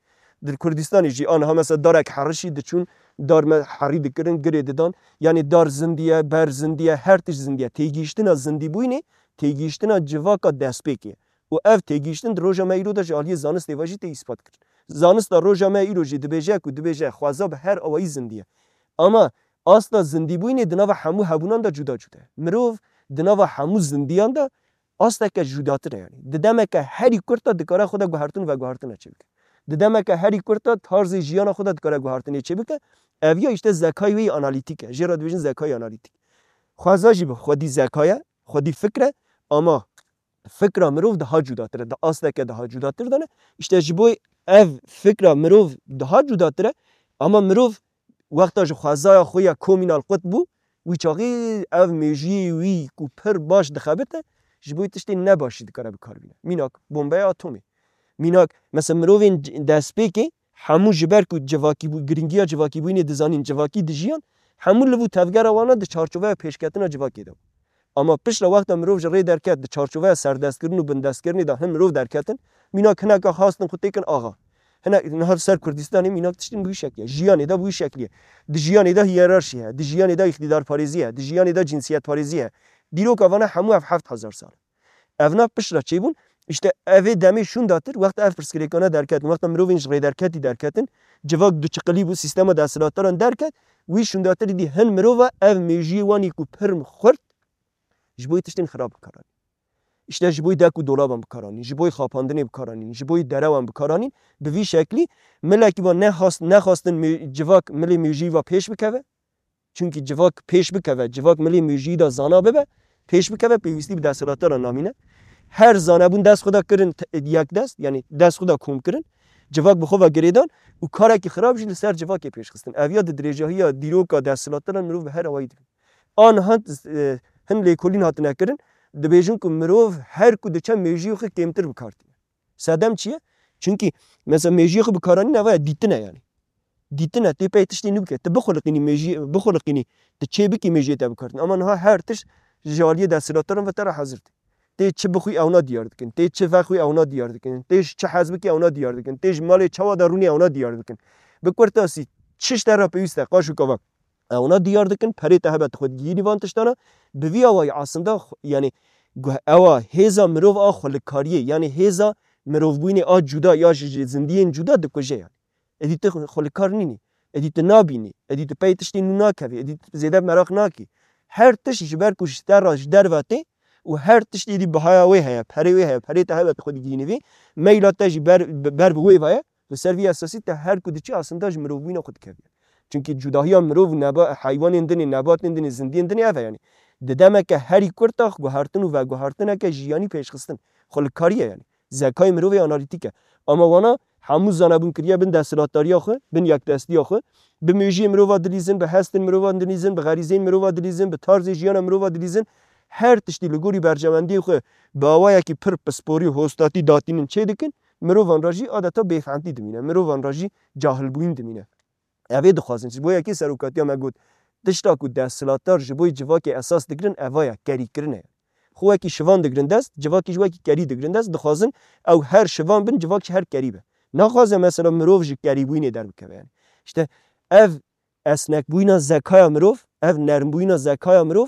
Di Kurdistanê jî aniha mesela darek herişî diçûn, dar me herî dikirin, girê didan. Yani dar zindî ye, ber zindî ye, her tişt zindî ye. Têgihiştina zindîbûyînê, têgihiştina civaka destpêkê. Û ev têgihiştin di roja me îro de ji aliyê zanistê ve jî tê îspat kirin. Zanista roja me îro jî dibêje ku dibêje xweza bi her awayî zindî ye. Ama asta zindîbûyînê di nava hemû hebûnan de cuda cuda ye. Mirov di nava hemû zindiyan de asteke cudatir e yani. Di demeke herî kurt de dikare xwe de guhertin û veguhertina çêbike. Di demeke herî kurt de tarzê jiyana xwe de dikare guhertinê çêbike. Ev ya işte zekayê wê yê analîtîk e. Jê re dibêjin zekayê analîtîk. Xweza jî bi xwedî zeka ye, xwedî fikr e, ama fikra mirov daha cudatir e, di asteke daha cudatir de ne. İşte ji bo ev fikra mirov daha cudatir e, ama mirov wexta ji xwezaya xwe ya komînal qut bû, wî çaxî ev mêjiyê wî ku pir baş dixebite, ji bo tiştên nebaş jî dikare bi kar bîne. Mînak, bombeya atomê. Mînak, mesela mirovên c-, destpêkê hemû ji ber ku civakî bû, giringiya civakîbûyînê dizanîn, civakî dijiyan, hemû liv û tevgera wana di çarçoveya pêşketina civakê de bû. Ama piştre wexta mirov ji rê derket, di çarçoveya serdestkirin û bindestkirinê de hin mirov derketin, mînak hineka xastin xwe têkin axa. Hinek niha li ser Kurdistanê mînak tiştin bi wî şeklî ye. Jiyanê de bi wî şeklî ye. Di jiyanê de hiyerarşî heye, di jiyanê de îqtîdarparêzî heye, di jiyanê de cinsiyetparêzî heye. Dîroka vana hemû ev heft hezar sal. Evna piştre çêbûn, işte evê demê şûndatir, wexta ev pirsgirêkane derketin, wexta mirovên ji rê derketî derketin, civak duçiqilî bû, sîstema desthilatdaran derket, wî şûndatir dî hin mirova ev mêjiyê wanî ku pir xurt, ji bo tiştên xirab bikaranîn. İşte ji bo dek û dolaban bikaranîn, ji bo xapandinê bikaranîn, ji bo derewan bikaranîn, bi vî şeklî milekî va nexwast-, nexwastin mê-, civak milê mêjiyî va pêş bikeve. Çunkî civak pêş bikeve, civak milê mêjiyî de zana bibe, pêş bikeve, pêwîstî bi desthilatdaran namîne. Her zanebûn dest xwe de kirin te-, yek dest, yani dest xwe de kom kirin. Civak bi xwe ve girêdan û karekî xirab jî li ser civakê pêş xistin. Ev ya di dirêjahiya dîroka desthilatdaran mirov bi her awayî dibîne. Aniha, e, hin lêkolîn hatine kirin, dibêjin ku mirov her ku diçe mêjiyê xwe kêmtir bi kar tîne. Sedem çi ye? Çunkî mesela mêjiyê xwe bi karanîn eva ye, dîtin e yani. Dîtin e, tê pey tiştê nû bike. Tu bixuliqînî mêjiyê, bixuliqînî, tu çê bikî mêjiyê te bi kar tîne. Ama niha her tişt ji aliyê desthilatdaran ve te re hazir tê. Tê çi bixwî ewna diyar dikin. Tê çi vexwî ewna diyar dikin. Tê ji çi hez bikî ewna diyar dikin. Tê ji malê çawa de rûnî ewna diyar dikin. Bi kurtasî, çi ji te re pêwîst e, qaş û kavak ewna diyar dikin, perê te hebe tu xwe digihînî van tiştana. Bi vî awayî aslında xwe-, yani guh-, ewa hêza mirov a xwelikariyê, yani hêza mirovbûyînê a cuda ya ji, ji zindiyên cuda dikuje yani. Êdî tu xwe-, xwelikar nînî, êdî tu nabînî, êdî tu pey tiştê nû nakevî, êdî tu zêde meraq nakî. Her tişt ji ber ku ji te re ji derve tê û her tiştê dî bihaya wê heye, perê wê heye, perê te hebe tu xwe digihînî vê, meyla te jî ber, ber bi wê ve ye. Li ser vî esasî te her ku diçî aslında ji mirovbûyîna xwe dikevî. Çimkî cudahiya mirov û neba-, heywanên din ê, nebatên din ê, zindiyên din ê ev e yanî. Di demeke herî kurt de guhertin û veguhertineke jiyanî pêşxistin. Xwe li karî ye yanî. Zekayê mirovê analîtîk e. Ama wana hemû zanebûn kiriye bin desthilatdariya xwe, bin yekdestiya xwe. Bi mejiyê mirova dilîzin, bi hestên mirova dilîzin, bi xerîzeyên mirova dilîzin, bi tarzê jiyana mirova dilîzin. Her tiştî li gorî berjewendiyê xwe bi awayekî pir pisporî û hostatî datînin çêdikin. Mirovan re jî adeta bêfehtî dimîne. Mirovan re jî cahilbûyîn dimîne. Ev ê dixwazin. Ji bo yekê serokatiya me got, tişta ku desthilatdar ji bo civakê esas digirin, eva ye, kerîkirin e. Xwe wekî şivan digirin dest, civakî ji wekî kerî digirin dest, dixwazin ew her şivan bin, civak jî her kerî be. Naxwaze mesela mirov ji kerîbûyînê derbikeve yani. İşte ev esnekbûyîna zekaya mirov, ev nermbûyîna zekaya mirov,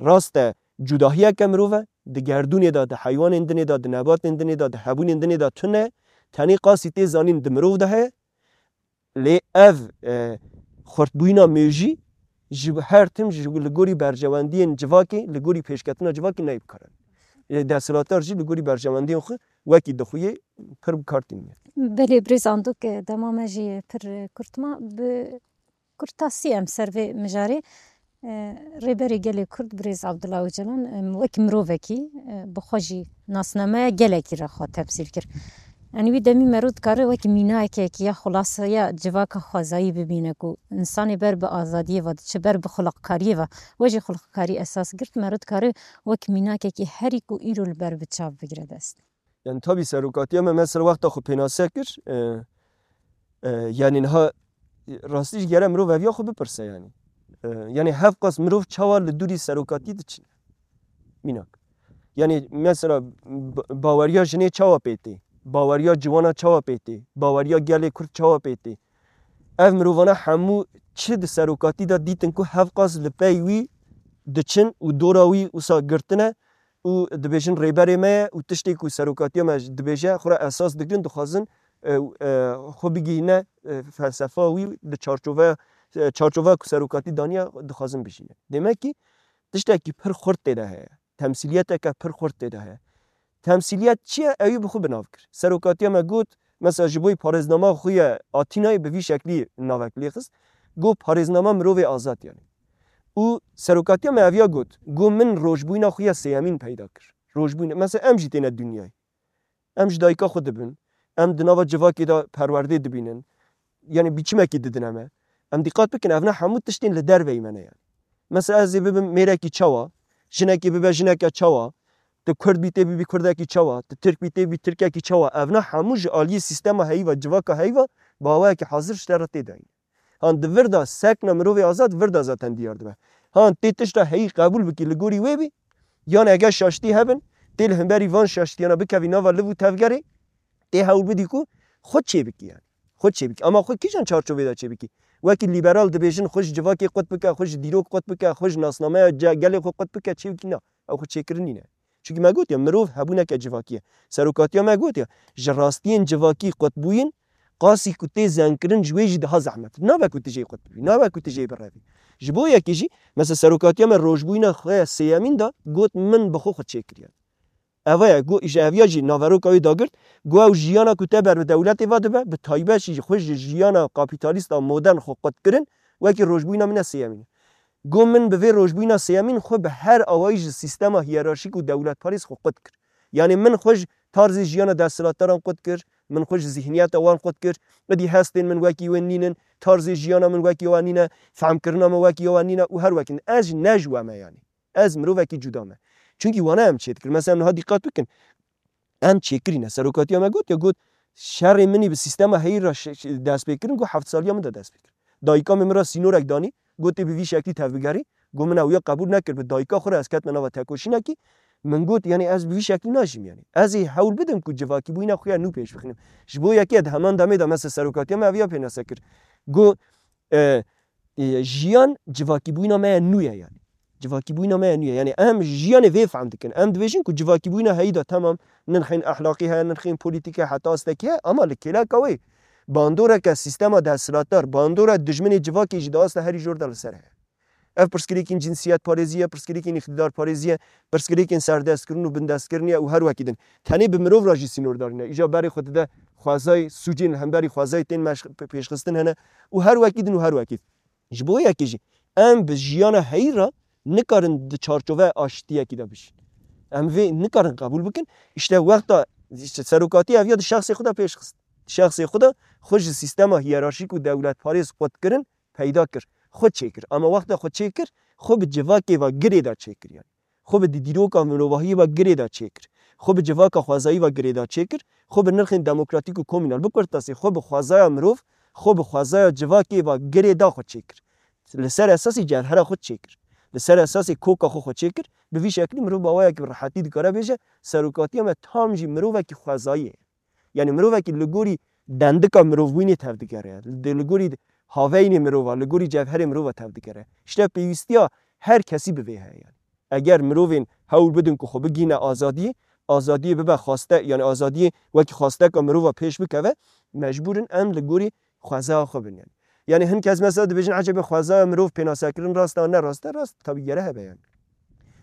rast e, cudahiyeke mirov e, di gerdûnê de, di heywanên dinê de, di nebatên dinê de, di hebûnên dinê de tune, tenê qasî tê zanîn di mirov de heye. Lê ev, e, xurtbûyîna mêjî ji her tim ji li gorî berjewendiyên civakê, li gorî pêşketina civakê neyê bikaranîn. Lê desthilatdar jî li gorî berjewendiyên xwe wekî dixuyê pir bi kar tîniye. Belê birêz Andok, e, dema me jî pir kurt ma. Bi kurtasî em ser vê mijarê, e, Rêberê Gelê Kurd birêz Abdullah Ocalan, em, wek mirovekî, e, bi xwe jî nasnameya gelekî re xwe temsîl kir. Yanî wî demî mero dikare wek mînakekî ya xulasa ya civaka xwezayî bibîne ku însanê ber bi azadiyê ve diçe, ber bi xulaqkariyê ve, we jî xulaqkarî esas girt, mero dikare wek mînakekî herî ku îro li ber bi çav bigire dest. Yani tabii serokatiya me mesela wexta xwe pênase kir, e, e, yani niha rastî jî gere mirov eviya xwe bipirse yani. E, yani hevqas mirov çawa li dûrî serokatî diçin. Mînak. Yani mesela b-, baweriya jinê çawa pê tê? Baweriya ciwana çawa pê tê? Baweriya gelê Kurd çawa pê tê? Ev mirovana hemû çi di serokatî de dîtin ku hevqas li pey wî diçin û dora wî wisa girtine û dibêjin rêberê me ye û tiştê ku serokatiya me dibêje xwe re esas digirin, dixwazin, e, e, xwe bigihîne, e, felsefa wî di çarçoveya, e, çarçoveya ku serokatî daniye dixwazin bijîne. Demek ki tiştekî pir xurt tê de heye. Temsîliyeteke pir xurt tê de heye. Temsîliyet çi ye? Ewî bi xwe bi nav kir. Serokatiya me got, mesela ji bo parêznama xwe ye Atînayê bi vî şeklî navek lê xist. Got parêznama mirovê azad yani. Û serokatiya me eviya got, got min rojbûyîna xwe ya sêyemîn peyda kir. Rojbûyîn, mesela em jî têne dinyayê. Em ji dayika xwe dibin. Em di nava civakê de perwerdê dibînin. Yani biçimekî didine me. Em dîqat bikin, evna hemû tiştên li derveyî me ne yani. Mesela ez ê bibim mêrekî çawa, jinekê bibe jineke çawa, tu Kurd bî tê bibî Kurdekî çawa, tu Tirk bî tê bibî Tirkekî çawa, evna hemû ji aliyê sîstema heyî ve, civaka heyî ve, bi awayekî hazir ji te re tê dayîn. Han di vir de sekna mirovê azad vir de zaten diyar dibe. Han tê tişta heyî qebûl bikî li gorî wê bî, yan ege şaştî hebin, tê li hemberî van şaştiyana bikevî nava liv û tevgerê, tê hewl bidî ku xwe çêbikî yani. Xwe çêbikî. Ama xwe kîjan çarçovê de çêbikî? Wekî lîberal dibêjin xwe ji civakê qut bike, xwe ji dîrok qut bike, xwe ji nasnameya ce-, gelê xwe qut bike, çêbikî na. Ew xwe çêkirin nîne. Çimkî me gotiye, mirov hebûneke civakî ye. Serokatiya me gotiye, ji rastiyên civakî qutbûyîn, qasî ku tê zengkirin ji wê jî daha zehmet. Nabe ku tu jê qutbî, nabe ku tu jê birevî. Ji bo yekê jî, mesela serokatiya me rojbûyîna xwe ya sêyemîn de got, min bi xwe xwe çêkiriye. Eva ye, got, ji eviya jî naveroka wê dagirt, got, ew jiyana ku te ber bi dewletê ve dibe, bi taybet jî xwe ji jiyana kapîtalîsta modern xwe qutkirin, wekî rojbûyîna min e sêyemîn e. Got, min bi vê rojbûyîna sêyemîn xwe bi her awayî ji sîstema hiyerarşîk û dewletparêz xwe qut kir. Yanî min xwe ji tarzê jiyana desthilatdaran qut kir, min xwe ji zîhniyeta wan qut kir. Êdî hestên min wekî wê nînin, tarzê jiyana min wekî wan nîne, fehmkirina min wekî wan nîne û her wekî nîne. Ez jî ne ji we me yanî. Ez mirovekî cuda me. Çimkî wana em çêdikir. Mesela em niha dîqat bikin. Em çêkirîne. Serokatiya me got ya got, şerê min î bi sîstema heyî re şe-, şe-, dest pê kirin, got heft saliya min de dest pê kir. Dayika min min re sînorek danî, got tê bi vî şeklî tevbigerî, got min ew ya qebûl nekir, bi dayika xwe re ez ketime nava tekoşînekî, min got, yanî ez bi vî şeklî najîm yanî. Ez ê hewl bidim ku civakîbûyîna xwe ya nû pêş bixinim. Ji bo yekê di heman demê de mesela serokatiya me eviya pênase kir. Got, e, e, jiyan civakîbûyîna me ya nû ye yanî. Civakîbûyîna me ya nû ye. Yanî em jiyanê vê fehm dikin. Em dibêjin ku civakîbûyîna heyî de temam nirxên ehlaqî heye, nirxên polîtîk heye, heta astekî heye, ama li kêleka wê bandoreke sîstema desthilatdar, bandora dijminê civakê jî di asta herî jor de li ser heye. Ev pirsgirêkên cinsiyetparêzî ye, pirsgirêkên îqtîdarparêzî ye, pirsgirêkên serdestkirin û bindestkirinê ye û her wekî din. Tenê bi mirov re jî sînordar nîne. Îja berê xwe dide xwezayê sûcên li hemberî xwezayê tên meş-, pêşxistin hene û her wekî din û her wekî din. Ji bo yekê jî em bi jiyana heyî re nikarin di çarçoveya aştiyekî de bijîn. Em vê nikarin qebûl bikin. Îşte wexta, îşte serokatiya ev ya di şexsê xwe de pêş xist. Di şexsê xwe de xwe ji sîstema hiyerarşîk û dewletparêz qut kirin, peyda kir. Xwe çêkir. Ama wexta xwe çêkir, xwe bi civakê ve girê de çêkir yani. Xwe bi di dîroka mirovahiyê ve girê de çêkir. Xwe bi civaka xwezayî ve girê de çêkir. Xwe bi nirxên demokratîk û komînal, bi kurtasî xwe bi xwezaya mirov, xwe bi xwezaya civakê ve girê da xwe çêkir. Li ser esasê cevhera xwe çêkir. Li ser esasê koka xwe xwe çêkir. Bi vî şeklî mirov bi awayekî bi rehetî dikare bêje, serokatiya me tam jî mirovekî xwezayî ye. Yani mirovekî li gorî dendika mirovbûyînê tevdigere. Li, li gorî haveynê mirova, li gorî cevherê mirova tevdigere. Îşte pêwîstiya her kesî bi vê heye yani. Eger mirovên hewl bidin ku xwe bigihîne azadiyê, azadiyê bibe xwaste, yani azadiyê wekî xwasteka mirova pêş bikeve, mecbûr in em li gorî xwezaya xwe bin yani. Yani hin kes mesela dibêjin, ecebe xwezaya mirov pênasekirin rast e, ne rast e, rast tabî gere hebe yani.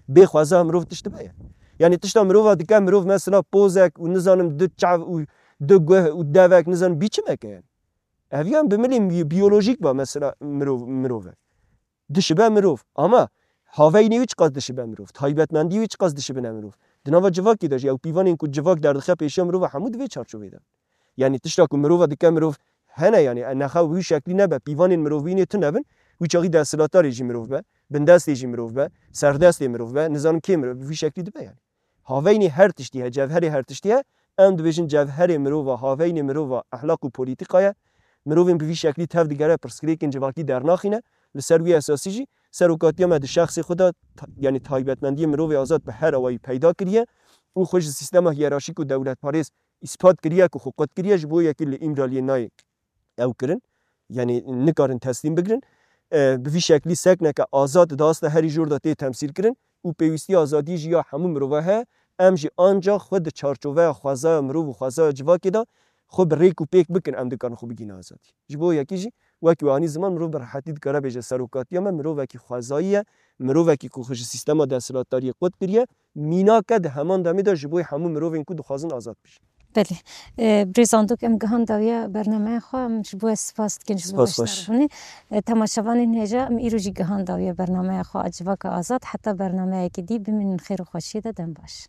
Bê xwezaya mirov tişt dibe yani. Yani tişta mirova dike, mirov mesela pozek û nizanim du çav û du guh û devek nizanim bî çimeke yani. Ev yan bi milê bi-, biyolojîk be mesela mirov, mirov e. Dişibe mirov. Ama haveynê wî çiqas dişibe mirov. Taybetmendî wî çiqas dişibine mirov. Di nava civakê de jî ew pîvanên ku civak derdixe pêşiya mirova hemû di vê çarçovê de. Yani tişta ku mirova dike mirov hene yani, e, nexa wî şeklî nebe, pîvanên mirovbûyînê tune bin, wî çaxî desthilatdarê jî mirov be, bindestê jî mirov be, serdestê mirov be, nizanim kê mirov, bi vî şeklî dibe yani. Haveynê her tiştî ye, cevherê her tiştî ye. Em dibêjin cevherê mirova, haveynê mirova, ehlaq û polîtîka ye. Mirovên bi vî şeklî tev digere, pirsgirêkên civakî dernaxîne. Li ser wî esasî jî serokatiya me di şexsê xwe de ta-, yani taybetmendiyê mirovê azad bi her awayî peyda kiriye û xwe ji sîstema hiyerarşîk û dewletparêz îspat kiriye ku xwe qut kiriye, ji bo yekî li Îmraliyê nayê ew kirin. Yani nikarin teslîm bigirin. E, bi vî şeklî sekneke azad di asta herî jor de tê temsîl kirin û pêwîstiya azadiyê jî ya hemû mirova heye. Em jî ancax xwe di çarçoveya xwezaya mirov û xwezaya civakê de xwe bi rêk û pêk bikin, em dikarin xwe bigihîne azadî. Ji bo yekî jî wekî we anî ziman, mirov bi rehetî dikare bêje serokatiya me mirovekî xwezayî ye, mirovekî ku xwe ji sîstema desthilatdariyê qut kiriye, mînak e di heman demê de ji bo hemû mirovên ku dixwazin azad bijîn. Belê. E, birêz Andok, em gihan dawiya bernameya xwe, em ji bo we spas dikin, ji bo Spas xweş. beşdarbûnê. E, temaşevanên hêja, em îro jî gihan dawiya bernameya xwe a Civaka Azad, heta bernameyekî dî bimînin xêr û xweşiyê de, dem baş.